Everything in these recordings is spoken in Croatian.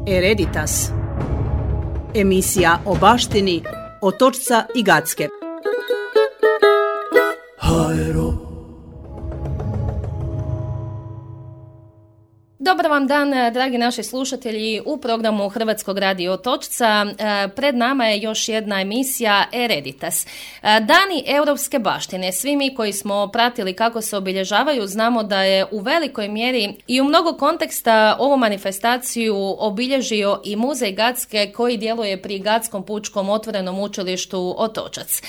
Hereditas. Emisija o baštini Otočca i Gacke. Dobar vam dan, dragi naši slušatelji, u programu Hrvatskog radija Otočca. Pred nama je još jedna emisija Hereditas. Dani europske baštine. Svi mi koji smo pratili kako se obilježavaju znamo da je u velikoj mjeri i u mnogo konteksta ovu manifestaciju obilježio i Muzej Gacke koji djeluje pri Gatskom pučkom otvorenom učilištu Otočac.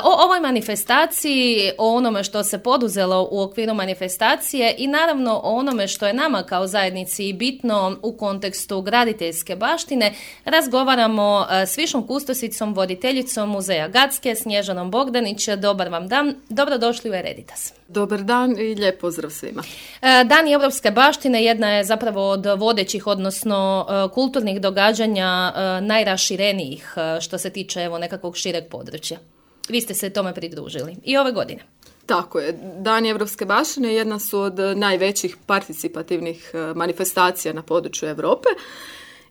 O ovoj manifestaciji, o onome što se poduzelo u okviru manifestacije i naravno o onome što je nama kao zajednici bitno u kontekstu graditeljske baštine, razgovaramo s višom kustosicom, voditeljicom Muzeja Gacke, Snježanom Bogdanić. Dobar vam dan, dobrodošli u Hereditas. Dobar dan i lijep pozdrav svima. Dani europske baštine jedna je zapravo od vodećih, odnosno kulturnih događanja najraširenijih što se tiče nekakvog šireg područja. Vi ste se tome pridružili i ove godine. Tako je. Dani europske baštine jedna su od najvećih participativnih manifestacija na području Europe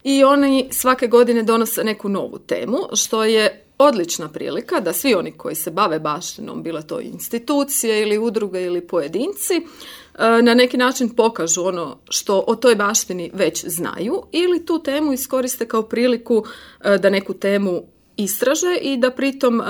i oni svake godine donose neku novu temu, što je odlična prilika da svi oni koji se bave baštinom, bilo to institucije ili udruge ili pojedinci, na neki način pokažu ono što o toj baštini već znaju ili tu temu iskoriste kao priliku da neku temu istraže i da pritom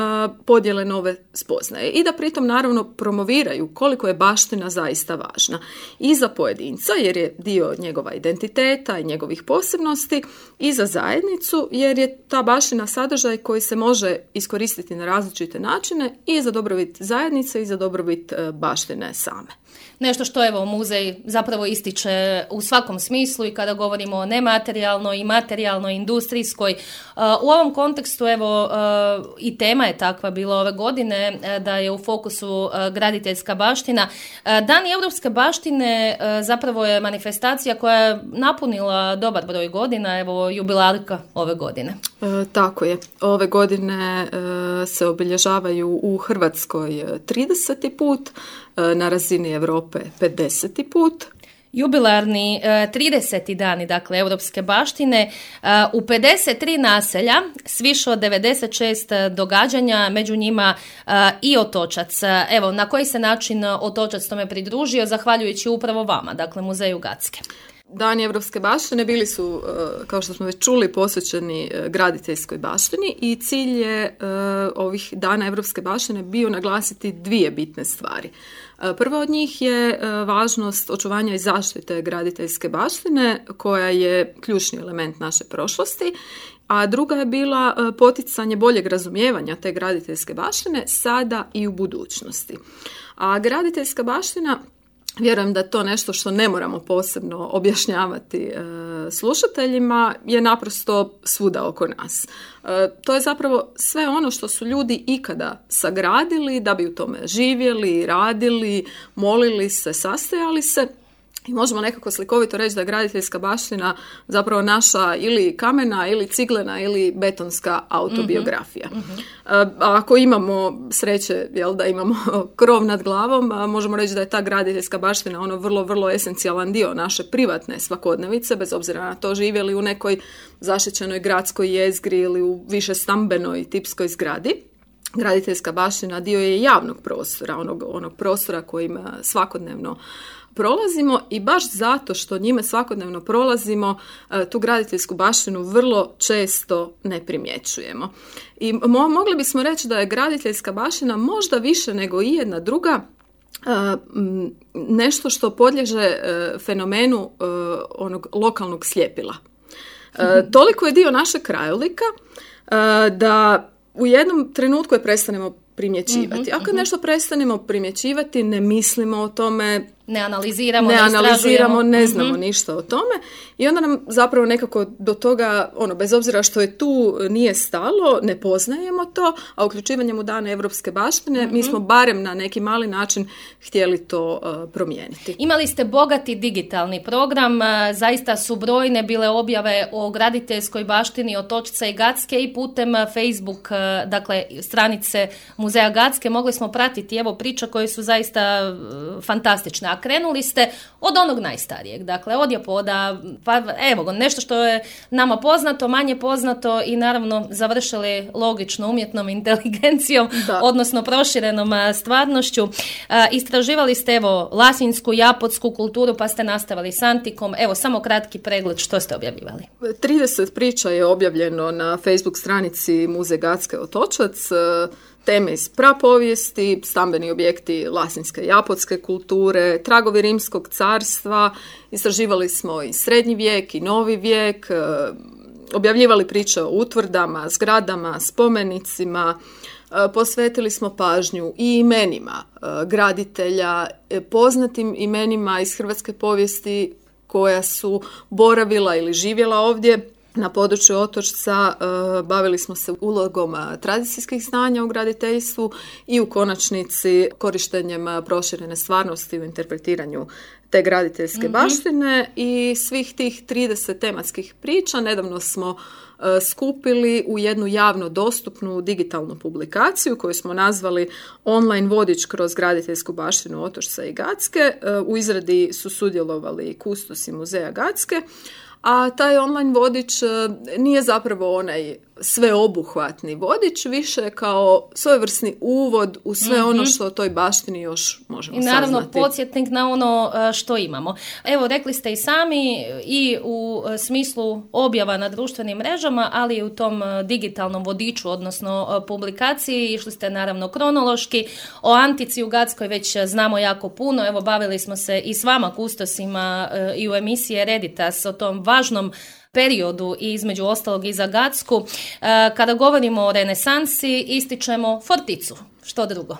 podijele nove spoznaje i da pritom naravno promoviraju koliko je baština zaista važna i za pojedinca jer je dio njegova identiteta i njegovih posebnosti i za zajednicu jer je ta baština sadržaj koji se može iskoristiti na različite načine i za dobrobit zajednice i za dobrobit baštine same. Nešto što evo muzej zapravo ističe u svakom smislu i kada govorimo o nematerijalnoj i materijalnoj, industrijskoj. U ovom kontekstu evo i tema je takva bila ove godine da je u fokusu graditeljska baština. Dani europske baštine zapravo je manifestacija koja je napunila dobar broj godina, evo jubilarka ove godine. Tako je. Ove godine se obilježavaju u Hrvatskoj 30. put, na razini Europe 50. put. Jubilarni 30. dani, dakle, europske baštine u 53 naselja s više od 96 događanja, među njima i Otočac. Evo, na koji se način Otočac tome pridružio, zahvaljujući upravo vama, dakle, Muzeju Gacke? Dani europske baštine bili su, kao što smo već čuli, posvećeni graditeljskoj baštini i cilj je ovih dana europske baštine bio naglasiti dvije bitne stvari. Prva od njih je važnost očuvanja i zaštite graditeljske baštine, koja je ključni element naše prošlosti, a druga je bila poticanje boljeg razumijevanja te graditeljske baštine sada i u budućnosti. A graditeljska baština, vjerujem da je to nešto što ne moramo posebno objašnjavati slušateljima, je naprosto svuda oko nas. To je zapravo sve ono što su ljudi ikada sagradili da bi u tome živjeli, radili, molili se, sastajali se. I možemo nekako slikovito reći da je graditeljska baština zapravo naša ili kamena ili ciglena ili betonska autobiografija. A ako imamo sreće da imamo krov nad glavom, možemo reći da je ta graditeljska baština ono vrlo, vrlo esencijalan dio naše privatne svakodnevice, bez obzira na to živjeli u nekoj zaštićenoj gradskoj jezgri ili u više stambenoj tipskoj zgradi. Graditeljska baština dio je javnog prostora, onog prostora kojim svakodnevno prolazimo i baš zato što njime svakodnevno prolazimo, tu graditeljsku baštinu vrlo često ne primjećujemo. I mogli bismo reći da je graditeljska baština možda više nego i jedna druga nešto što podliježe fenomenu onog lokalnog sljepila. Toliko je dio našeg krajolika da u jednom trenutku je prestanemo primjećivati. Ako nešto prestanemo primjećivati, ne mislimo o tome, ne analiziramo, ne znamo ništa o tome i onda nam zapravo nekako do toga, bez obzira što je tu nije stalo, ne poznajemo to, a uključivanjem u dane europske baštine mi smo barem na neki mali način htjeli to promijeniti. Imali ste bogati digitalni program, zaista su brojne bile objave o graditeljskoj baštini Otočca i Gacke i putem Facebook, dakle stranice Muzeja Gacke mogli smo pratiti evo priča koje su zaista fantastične. a krenuli ste od onog najstarijeg, dakle od Japoda, pa evo nešto što je nama poznato, manje poznato i naravno završili logično umjetnom inteligencijom, odnosno proširenom stvarnošću. Istraživali ste evo lasinsku, japotsku kulturu, pa ste nastavili s antikom. Evo samo kratki pregled, što ste objavljivali? 30 priča je objavljeno na Facebook stranici Muzej Gacke Otočac, teme iz prapovijesti, stambeni objekti lasinske i japotske kulture, tragovi rimskog carstva, istraživali smo i srednji vijek i novi vijek, objavljivali priče o utvrdama, zgradama, spomenicima, posvetili smo pažnju i imenima graditelja, poznatim imenima iz hrvatske povijesti koja su boravila ili živjela ovdje na području Otočca. Bavili smo se ulogom tradicijskih znanja u graditeljstvu i u konačnici korištenjem proširene stvarnosti u interpretiranju te graditeljske baštine i svih tih 30 tematskih priča nedavno smo skupili u jednu javno dostupnu digitalnu publikaciju koju smo nazvali Online vodič kroz graditeljsku baštinu Otočca i Gacke. U izradi su sudjelovali kustosi Muzeja Gacke, a taj online vodič nije zapravo onaj sveobuhvatni vodič, više kao svojevrsni uvod u sve ono što o toj baštini još možemo saznati. I naravno saznati. Podsjetnik na ono što imamo. Evo, rekli ste i sami i u smislu objava na društvenim mrežama, ali i u tom digitalnom vodiču, odnosno publikaciji, išli ste naravno kronološki. O antici u Gackoj već znamo jako puno. Evo, bavili smo se i s vama kustosima i u emisiji Hereditas o tom važnom periodu i između ostalog i za Gacku. Kada govorimo o renesansi, ističemo Forticu. Što drugo?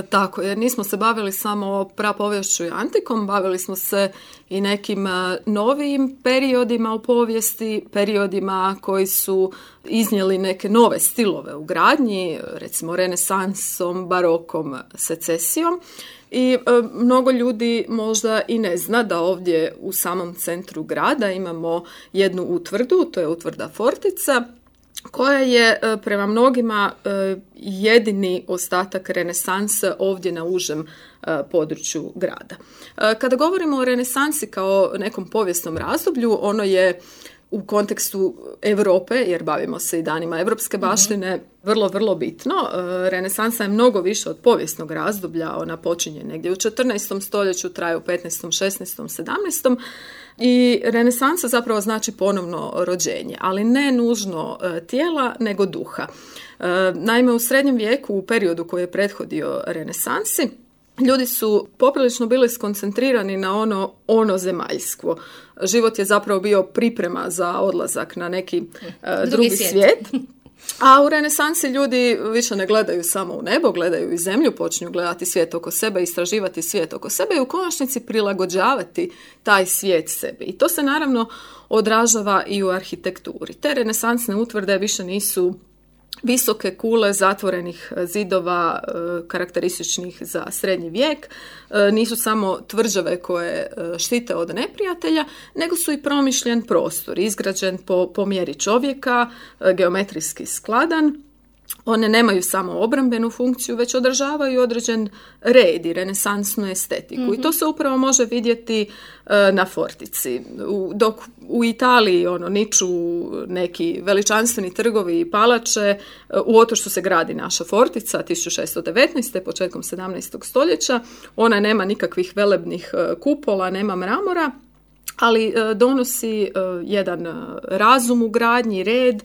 Tako, jer nismo se bavili samo prapoviješću i antikom, bavili smo se i nekim novijim periodima u povijesti, periodima koji su iznijeli neke nove stilove u gradnji, recimo renesansom, barokom, secesijom. I mnogo ljudi možda i ne zna da ovdje u samom centru grada imamo jednu utvrdu, to je utvrda Fortica, koja je prema mnogima jedini ostatak renesanse ovdje na užem području grada. Kada govorimo o renesansi kao nekom povijesnom razdoblju, ono je u kontekstu Europe, jer bavimo se i danima europske baštine, vrlo, vrlo bitno. Renesansa je mnogo više od povijesnog razdoblja, ona počinje negdje u 14. stoljeću, traje u 15., 16., 17. I renesansa zapravo znači ponovno rođenje, ali ne nužno tijela, nego duha. Naime, u srednjem vijeku, u periodu koji je prethodio renesansi, ljudi su poprilično bili skoncentrirani na ono zemaljsko. Život je zapravo bio priprema za odlazak na neki drugi svijet. A u renesansi ljudi više ne gledaju samo u nebo, gledaju i zemlju, počinju gledati svijet oko sebe, istraživati svijet oko sebe i u konačnici prilagođavati taj svijet sebi. I to se naravno odražava i u arhitekturi. Te renesansne utvrde više nisu visoke kule zatvorenih zidova karakterističnih za srednji vijek, nisu samo tvrđave koje štite od neprijatelja, nego su i promišljen prostor, izgrađen po mjeri čovjeka, geometrijski skladan. One nemaju samo obrambenu funkciju, već održavaju određen red i renesansnu estetiku. I to se upravo može vidjeti na Fortici. Dok u Italiji niču neki veličanstveni trgovi i palače, u Otočcu se gradi naša Fortica 1619. početkom 17. stoljeća. Ona nema nikakvih velebnih kupola, nema mramora, ali donosi jedan razum u gradnji, red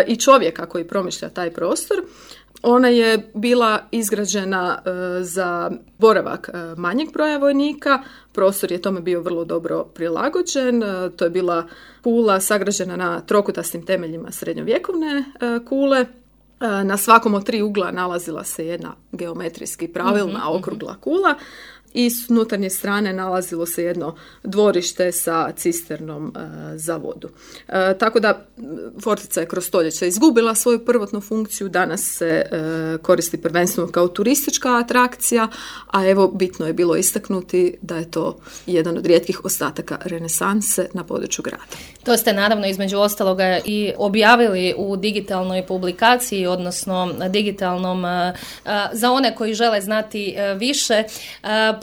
i čovjeka koji promišlja taj prostor. Ona je bila izgrađena za boravak manjeg broja vojnika, prostor je tome bio vrlo dobro prilagođen, to je bila kula sagrađena na trokutastim temeljima srednjovjekovne kule. Na svakom od 3 ugla nalazila se jedna geometrijski pravilna okrugla kula i s unutarnje strane nalazilo se jedno dvorište sa cisternom za vodu. Tako da Fortica je kroz stoljeća izgubila svoju prvotnu funkciju, danas se koristi prvenstveno kao turistička atrakcija, a evo bitno je bilo istaknuti da je to jedan od rijetkih ostataka renesanse na području grada. To ste naravno između ostaloga i objavili u digitalnoj publikaciji, odnosno digitalnom za one koji žele znati više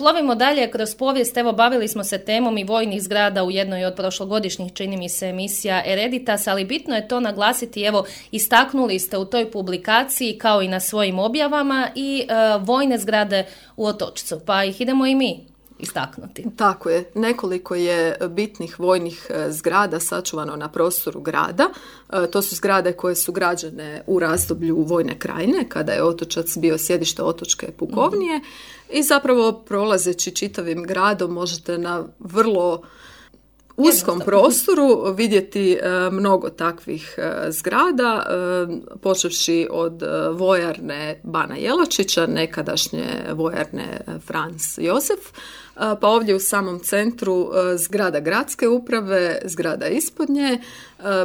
Plovimo dalje kroz povijest, evo bavili smo se temom i vojnih zgrada u jednoj od prošlogodišnjih, čini mi se, emisija Hereditas, ali bitno je to naglasiti, evo istaknuli ste u toj publikaciji kao i na svojim objavama i vojne zgrade u Otočcu, pa ih idemo i mi istaknuti. Tako je. Nekoliko je bitnih vojnih zgrada sačuvano na prostoru grada. To su zgrade koje su građene u razdoblju Vojne krajine, kada je Otočac bio sjedište Otočke pukovnije i zapravo prolazeći čitavim gradom možete na vrlo uskom prostoru vidjeti mnogo takvih zgrada, počevši od vojarne Bana Jelačića, nekadašnje vojarne Franz Josef, pa ovdje u samom centru zgrada gradske uprave, zgrada ispod nje,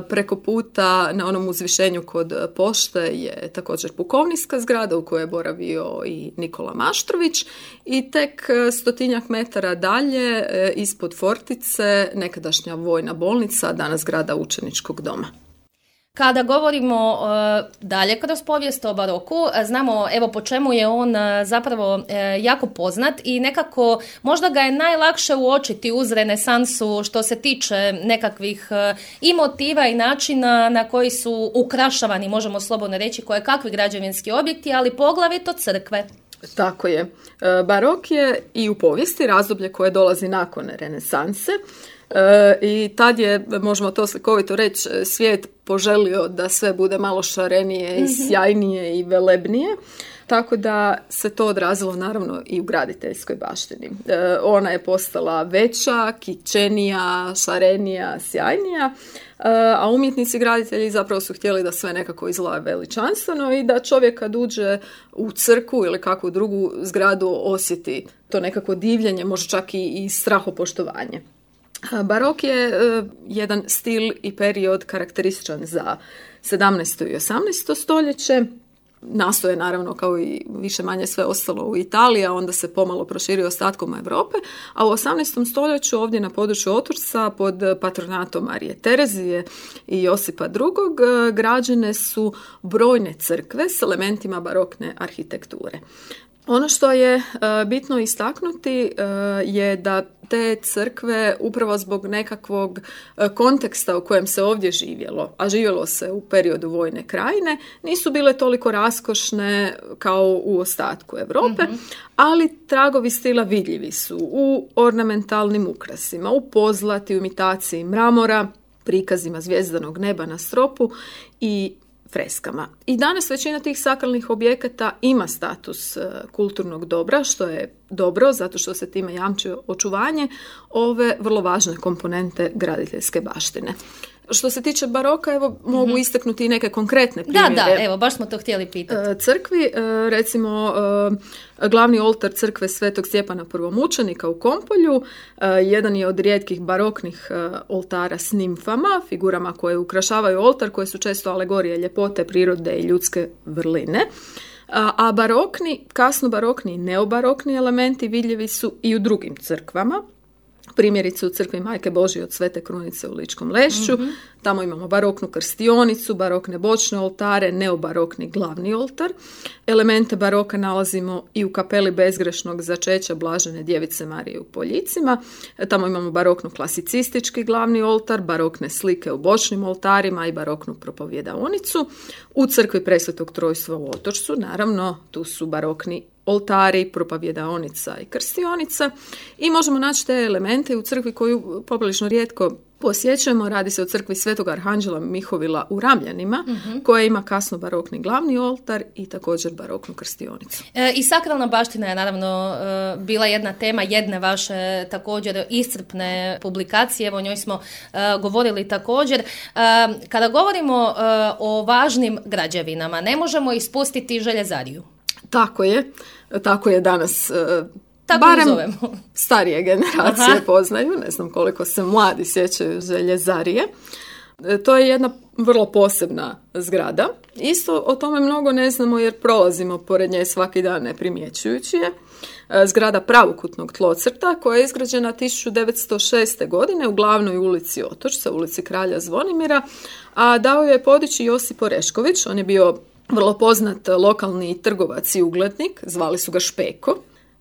preko puta na onom uzvišenju kod pošte je također pukovnijska zgrada u kojoj je boravio i Nikola Maštrović i tek 100 metara dalje ispod fortice nekadašnja vojna bolnica, danas zgrada učeničkog doma. Kada govorimo dalje kroz povijest o baroku, znamo evo po čemu je on zapravo jako poznat i nekako možda ga je najlakše uočiti uz renesansu što se tiče nekakvih i motiva i načina na koji su ukrašavani, možemo slobodno reći, kakvi građevinski objekti, ali poglavito crkve. Tako je. Barok je i u povijesti razdoblje koje dolazi nakon renesanse. I tad je, možemo to slikovito reći, svijet poželio da sve bude malo šarenije i sjajnije i velebnije, tako da se to odrazilo naravno i u graditeljskoj baštini. Ona je postala veća, kićenija, šarenija, sjajnija, a umjetnici graditelji zapravo su htjeli da sve nekako izgleda veličanstveno i da čovjek kad uđe u crkvu ili kakvu drugu zgradu osjeti to nekako divljenje, možda čak i strahopoštovanje. Barok je jedan stil i period karakterističan za 17. i 18. stoljeće. Nastao je naravno kao i više manje sve ostalo u Italiji, a onda se pomalo proširio ostatkom Europe, a u 18. stoljeću ovdje na području Otočca pod patronatom Marije Terezije i Josipa II. Građene su brojne crkve s elementima barokne arhitekture. Ono što je bitno istaknuti je da te crkve upravo zbog nekakvog konteksta u kojem se ovdje živjelo, a živjelo se u periodu Vojne krajine, nisu bile toliko raskošne kao u ostatku Europe, ali tragovi stila vidljivi su u ornamentalnim ukrasima, u pozlati, u imitaciji mramora, prikazima zvjezdanog neba na stropu i freskama. I danas većina tih sakralnih objekata ima status kulturnog dobra, što je dobro, zato što se time jamči očuvanje ove vrlo važne komponente graditeljske baštine. Što se tiče baroka, evo mogu istaknuti i neke konkretne primjere. Da, evo, baš smo to htjeli pitati. Crkvi, recimo, glavni oltar crkve Svetog Stjepana Prvomučenika u Kompolju, jedan je od rijetkih baroknih oltara s nimfama, figurama koje ukrašavaju oltar, koje su često alegorije ljepote, prirode i ljudske vrline. A barokni, kasno barokni i neobarokni elementi vidljivi su i u drugim crkvama. Primjerice u crkvi Majke Božje od Svete Krunice u Ličkom Lešću. Tamo imamo baroknu krstionicu, barokne bočne oltare, neobarokni glavni oltar. Elemente baroka nalazimo i u kapeli bezgrešnog začeća Blažene djevice Marije u Poljicima. Tamo imamo baroknu klasicistički glavni oltar, barokne slike u bočnim oltarima i baroknu propovjedaonicu. U crkvi Presvetog Trojstva u Otočcu, naravno, tu su barokni oltari, propovjedaonica i krstionica i možemo naći te elemente u crkvi koju poprilično rijetko posjećujemo. Radi se o crkvi Svetog Arhanđela Mihovila u Ramljanima, koja ima kasno barokni glavni oltar i također baroknu krstionicu. I sakralna baština je naravno bila jedna tema jedne vaše također iscrpne publikacije, evo o njoj smo govorili također. Kada govorimo o važnim građevinama, ne možemo ispustiti željezariju. Tako je danas, tako barem zovemo. Starije generacije poznaju, ne znam koliko se mladi sjećaju željezarije. To je jedna vrlo posebna zgrada. Isto o tome mnogo ne znamo jer prolazimo pored nje svaki dan ne primjećujući je. Zgrada pravokutnog tlocrta koja je izgrađena 1906. godine u glavnoj ulici Otočca, ulici Kralja Zvonimira, a dao je podići Josip Orešković. On je bio vrlo poznat lokalni trgovac i uglednik, zvali su ga Špeko.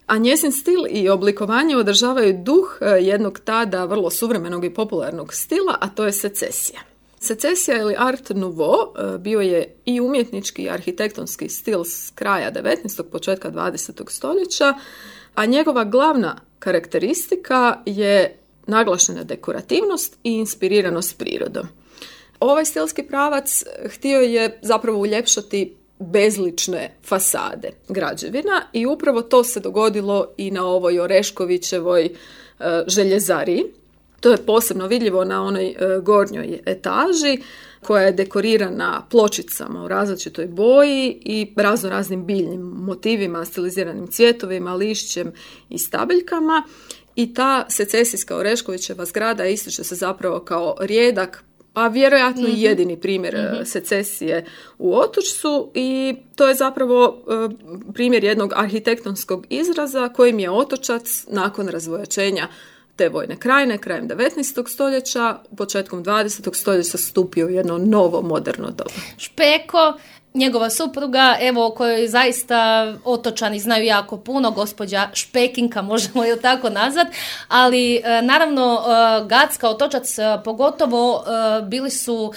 a njezin stil i oblikovanje održavaju duh jednog tada vrlo suvremenog i popularnog stila, a to je secesija. Secesija ili Art Nouveau bio je i umjetnički i arhitektonski stil s kraja 19. početka 20. stoljeća, a njegova glavna karakteristika je naglašena dekorativnost i inspiriranost prirodom. Ovaj stilski pravac htio je zapravo uljepšati bezlične fasade građevina i upravo to se dogodilo i na ovoj Oreškovićevoj željezariji. To je posebno vidljivo na onoj gornjoj etaži koja je dekorirana pločicama u različitoj boji i raznim biljnim motivima, stiliziranim cvjetovima, lišćem i stabiljkama. I ta secesijska Oreškovićeva zgrada ističe se zapravo kao rijedak, a vjerojatno i jedini primjer secesije u Otočcu, i to je zapravo primjer jednog arhitektonskog izraza kojim je Otočac nakon razvojačenja te vojne krajine, krajem 19. stoljeća, početkom 20. stoljeća stupio u jedno novo moderno doba. Špeko, njegova supruga, evo o kojoj zaista Otočani znaju jako puno, gospođa Špekinka, možemo ju tako nazvat, ali naravno Gacka, Otočac pogotovo, bili su,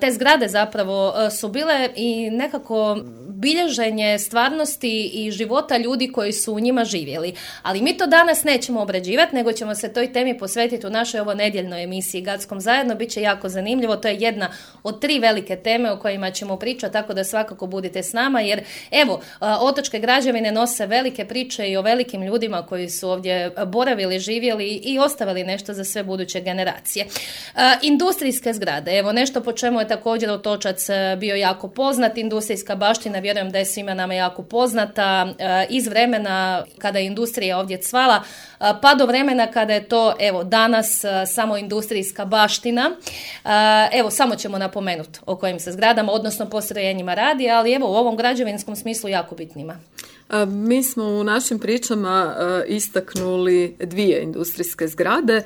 te zgrade zapravo su bile i nekako bilježenje stvarnosti i života ljudi koji su u njima živjeli. Ali mi to danas nećemo obrađivati, nego ćemo se toj temi posvetiti u našoj ovo nedjeljnoj emisiji Gackom zajedno. Biće jako zanimljivo, to je jedna od 3 velike teme o kojima ćemo pričati, tako da svakako budite s nama, jer evo, otočke građevine nose velike priče i o velikim ljudima koji su ovdje boravili, živjeli i ostavili nešto za sve buduće generacije. Industrijske zgrade, evo nešto po čemu je također Otočac bio jako poznat. Industrijska baština, vjerujem da je svima nama jako poznata iz vremena kada je industrija ovdje cvala, pa do vremena kada je to, evo, danas samo industrijska baština. Evo, samo ćemo napomenuti o kojim se zgradama, odnosno postrojenjima radi, ali evo u ovom građevinskom smislu jako bitnima. Mi smo u našim pričama istaknuli 2 industrijske zgrade.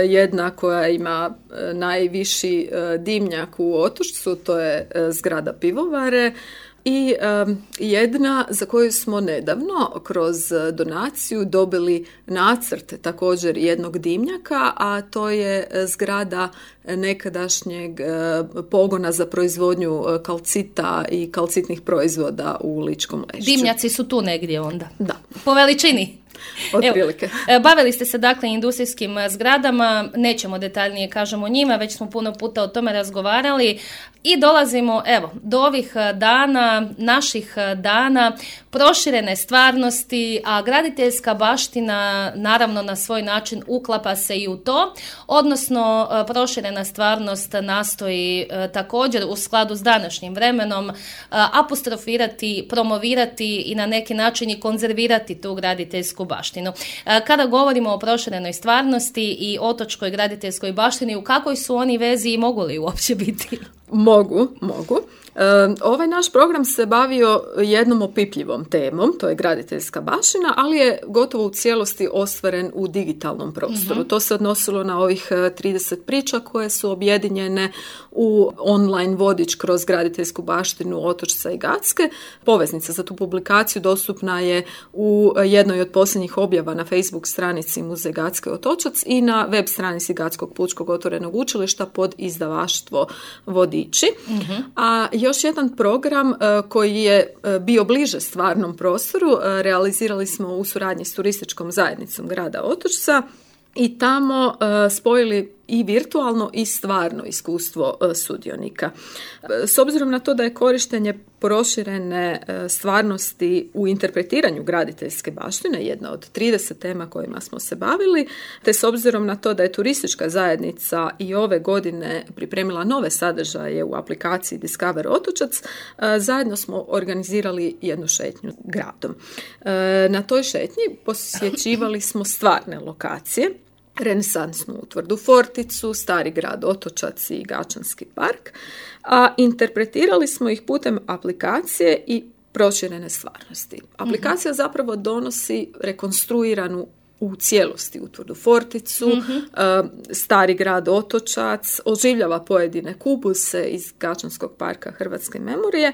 Jedna koja ima najviši dimnjak u Otočcu, to je zgrada pivovare, i jedna za koju smo nedavno kroz donaciju dobili nacrt također jednog dimnjaka, a to je zgrada nekadašnjeg pogona za proizvodnju kalcita i kalcitnih proizvoda u Ličkom Lešću. Dimnjaci su tu negdje onda? Da. Po veličini? Otprilike. Bavili ste se dakle industrijskim zgradama, nećemo detaljnije kažemo o njima, već smo puno puta o tome razgovarali i dolazimo do ovih dana, naših dana, proširene stvarnosti, a graditeljska baština naravno na svoj način uklapa se i u to, odnosno proširena stvarnost nastoji također u skladu s današnjim vremenom apostrofirati, promovirati i na neki način i konzervirati tu graditeljsku baštinu. Kada govorimo o proširenoj stvarnosti i otočkoj graditeljskoj baštini, u kakvoj su oni vezi i mogu li uopće biti? Mogu. Ovaj naš program se bavio jednom opipljivom temom, to je graditeljska baština, ali je gotovo u cijelosti ostvaren u digitalnom prostoru. To se odnosilo na ovih 30 priča koje su objedinjene u online vodič kroz graditeljsku baštinu Otočca i Gacke. Poveznica za tu publikaciju dostupna je u jednoj od posljednjih objava na Facebook stranici Muzej Gacke Otočac i na web stranici Gatskog pučkog otvorenog učilišta pod izdavaštvo Vodiči. A još jedan program koji je bio bliže stvarnom prostoru realizirali smo u suradnji s turističkom zajednicom grada Otočca i tamo spojili i virtualno i stvarno iskustvo sudionika. S obzirom na to da je korištenje proširene stvarnosti u interpretiranju graditeljske baštine jedna od 30 tema kojima smo se bavili, te s obzirom na to da je turistička zajednica i ove godine pripremila nove sadržaje u aplikaciji Discover Otočac, zajedno smo organizirali jednu šetnju gradom. Na toj šetnji posjećivali smo stvarne lokacije, renesansnu utvrdu Forticu, Stari grad Otočac i Gačanski park, a interpretirali smo ih putem aplikacije i proširene stvarnosti. Aplikacija zapravo donosi rekonstruiranu u cijelosti utvrdu Forticu, Stari grad Otočac, oživljava pojedine kubuse iz Gačanskog parka Hrvatske memorije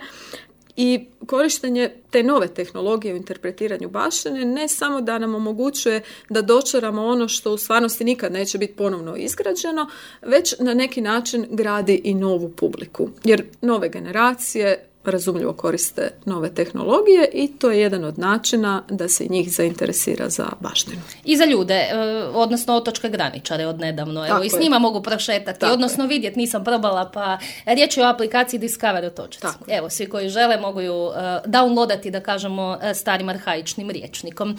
I korištenje te nove tehnologije u interpretiranju baštine ne samo da nam omogućuje da dočaramo ono što u stvarnosti nikad neće biti ponovno izgrađeno, već na neki način gradi i novu publiku. Jer nove generacije razumljivo koriste nove tehnologije i to je jedan od načina da se njih zainteresira za baštinu. I za ljude, odnosno otočke graničare od nedavno. Evo, i s njima mogu prošetati, odnosno vidjeti, nisam probala, pa riječ je o aplikaciji Discover Otočac. Evo, svi koji žele mogu ju downloadati, da kažemo, starim arhaičnim rječnikom.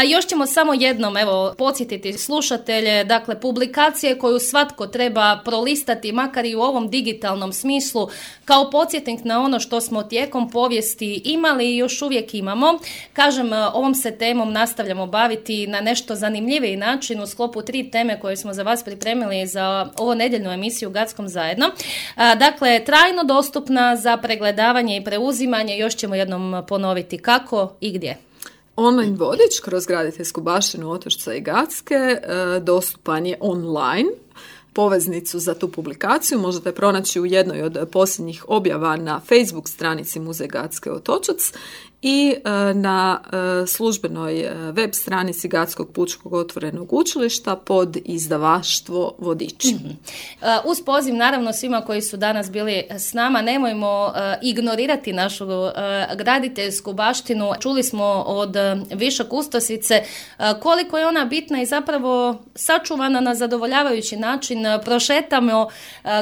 Još ćemo samo jednom, evo, podsjetiti slušatelje, dakle, publikacije koju svatko treba prolistati, makar i u ovom digitalnom smislu, kao podsjetnik na ono što smo tijekom povijesti imali i još uvijek imamo. Kažem, ovom se temom nastavljamo baviti na nešto zanimljiviji način u sklopu 3 teme koje smo za vas pripremili za ovo nedjeljnu emisiju Gatskom zajedno. Dakle, trajno dostupna za pregledavanje i preuzimanje, još ćemo jednom ponoviti kako i gdje. Online vodič kroz graditeljsku baštinu Otočca i Gatske dostupan je online. Poveznicu za tu publikaciju možete pronaći u jednoj od posljednjih objava na Facebook stranici Muzej Gatske Otočac i na službenoj web stranici Gatskog pučkog otvorenog učilišta pod izdavaštvo Vodiči. Uz poziv naravno svima koji su danas bili s nama, nemojmo ignorirati našu graditeljsku baštinu. Čuli smo od Viša Kustosice koliko je ona bitna i zapravo sačuvana na zadovoljavajući način. Prošetamo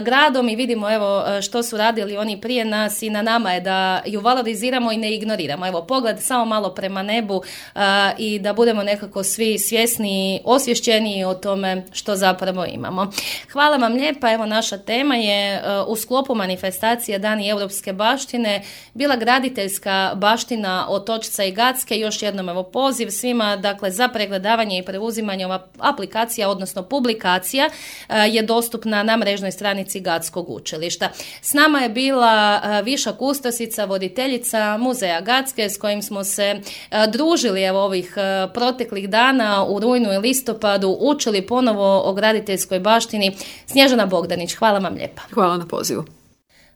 gradom i vidimo evo što su radili oni prije nas i na nama je da ju valoriziramo i ne ignoriramo. Evo, pogled samo malo prema nebu i da budemo nekako svi svjesni i osvješćeni o tome što zapravo imamo. Hvala vam lijepa. Evo, naša tema je u sklopu manifestacije Dani europske baštine bila graditeljska baština Otočca i Gatske. Još jednom evo poziv svima, dakle, za pregledavanje i preuzimanje ova aplikacija, odnosno publikacija je dostupna na mrežnoj stranici Gatskog učilišta. S nama je bila Viša Kustosica, voditeljica Muzeja Gatske, s kojim smo se družili evo ovih proteklih dana u rujnu i listopadu, učili ponovo o graditeljskoj baštini. Snježana Bogdanić, hvala vam lijepa. Hvala na pozivu.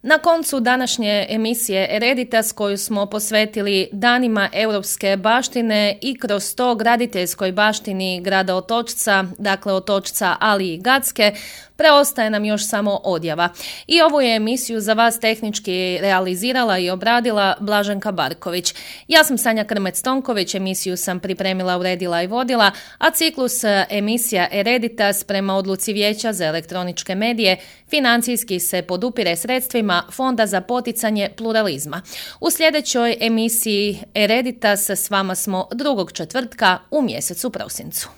Na koncu današnje emisije Ereditas koju smo posvetili danima europske baštine i kroz to graditeljskoj baštini grada Otočca, dakle Otočca ali i Gatske, preostaje nam još samo odjava. I ovu je emisiju za vas tehnički realizirala i obradila Blaženka Barković. Ja sam Sanja Krmec-Tonković, emisiju sam pripremila, uredila i vodila, a ciklus emisija Ereditas prema odluci Vijeća za elektroničke medije financijski se podupire sredstvima Fonda za poticanje pluralizma. U sljedećoj emisiji Ereditas s vama smo 2. četvrtka u mjesecu prosincu.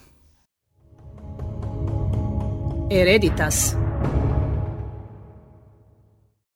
Ereditas.